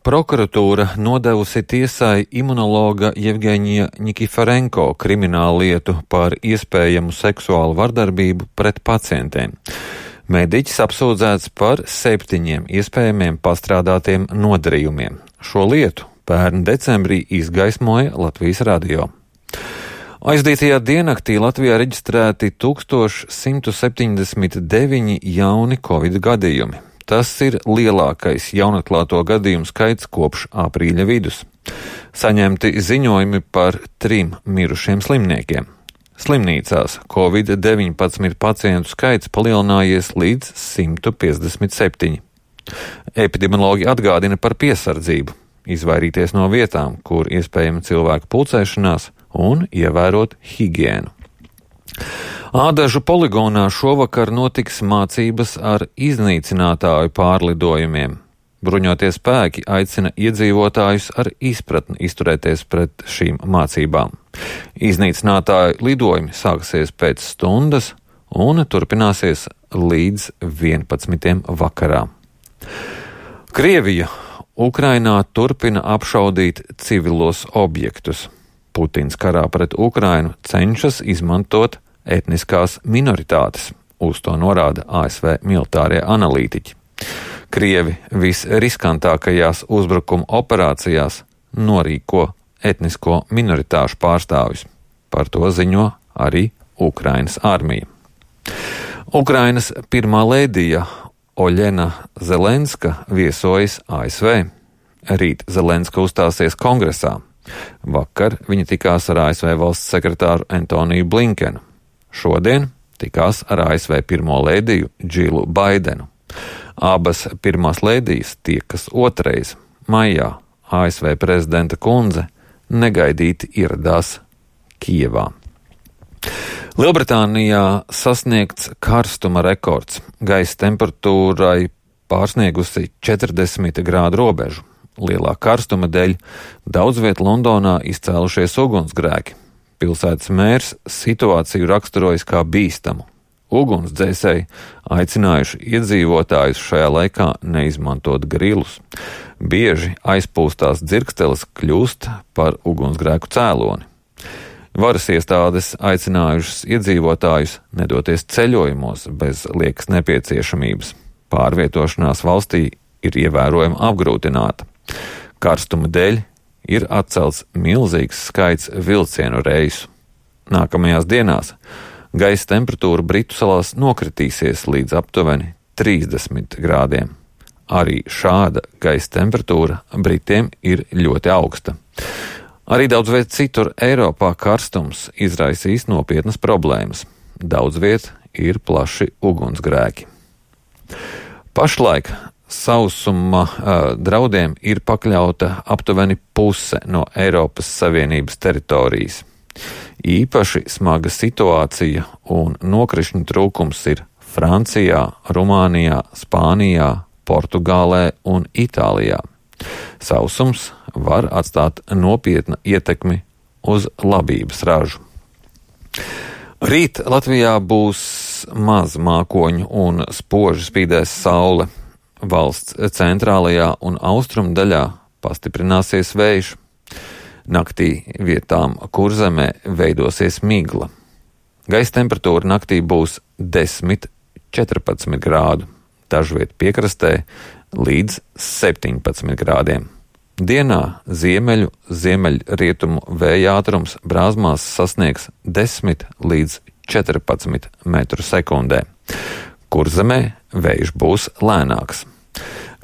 prokuratūra nodevusi tiesai imunologa Jevgeņija Nikiforenko kriminālu lietu par iespējamu seksuālu vardarbību pret pacientiem. Mediķis apsūdzēts par 7 iespējamiem pastrādātiem nodarījumiem. Šo lietu pērn decembrī izgaismoja Latvijas radio. Aizdītajā diennaktī Latvijā reģistrēti 1179 jauni covid gadījumi. Tas ir lielākais jaunatklāto gadījumu skaits kopš aprīļa vidus. Saņemti ziņojumi par 3 mirušiem slimniekiem. Slimnīcās Covid-19 pacientu skaits palielinājies līdz 157. Epidemiologi atgādina par piesardzību, izvairīties no vietām, kur iespējama cilvēku pulcēšanās un ievērot higiēnu. Ādažu poligonā šovakar notiks mācības ar iznīcinātāju pārlidojumiem. Bruņotie spēki aicina iedzīvotājus ar izpratni izturēties pret šīm mācībām. Iznīcinātāju lidojumi sāksies pēc stundas un turpināsies līdz 11. vakarā. Krievija Ukrainā turpina apšaudīt civilos objektus. Putins karā pret Ukrainu cenšas izmantot etniskās minoritātes, uz to norāda ASV militārie analītiķi. Krievi visriskantākajās uzbrukuma operācijās norīko etnisko minoritāšu pārstāvjus. Par to ziņo arī Ukrainas armija. Ukrainas pirmā lēdija Oļena Zelenska viesojas ASV. Rīt Zelenska uzstāsies kongresā. Vakar viņa tikās ar ASV valsts sekretāru Antoniju Blinkenu. Šodien tikās ar ASV pirmo lēdiju Džilu Baidenu. Abas pirmās lēdijas tiekas otrais. Maijā ASV prezidenta kundze negaidīti ieradās Kijevā. Lielbritānijā sasniegts karstuma rekords. Gaisa temperatūrai pārsniegusi 40 grādu robežu. Lielā karstuma dēļ daudz viet Londonā izcēlušies ugunsgrēki. Pilsētas mērs situāciju raksturojas kā bīstamu. Ugunsdzēsēji aicinājuši iedzīvotājus šajā laikā neizmantot grilus. Bieži aizpūstās dzirksteles kļūst par ugunsgrēku cēloni. Varas iestādes aicinājušas iedzīvotājus nedoties ceļojumos bez liekas nepieciešamības. Pārvietošanās valstī ir ievērojami apgrūtināta. Karstuma dēļ ir atcelts milzīgs skaits vilcienu reisu. Nākamajās dienās gaisa temperatūra Britu salās nokritīsies līdz aptuveni 30 grādiem. Arī šāda gaisa temperatūra Britiem ir ļoti augsta. Arī daudz viet citur Eiropā karstums izraisīs nopietnas problēmas. Daudz viet ir plaši ugunsgrēki. Pašlaik sausuma draudiem ir pakļauta aptuveni puse no Eiropas Savienības teritorijas. Īpaši smaga situācija un nokrišņu trūkums ir Francijā, Rumānijā, Spānijā, Portugālē un Itālijā. Sausums var atstāt nopietnu ietekmi uz labības ražu. Rīt Latvijā būs maz mākoņu un spoži spīdēs saule. Valsts centrālajā un austrumu daļā pastiprināsies vējš. Naktī vietām Kurzemē veidosies migla. Gaisa temperatūra naktī būs 10–14 grādu, dažviet piekrastē līdz 17 grādiem. Dienā ziemeļrietumu vēja ātrums brāzmās sasniegs 10 līdz 14 metru sekundē. Kurzemē vējš būs lēnāks.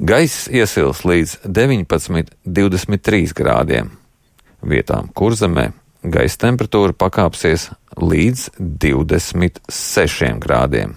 Gaiss iesils līdz 19–23 grādiem. Vietām Kurzemē gaisa temperatūra pakāpsies līdz 26 grādiem.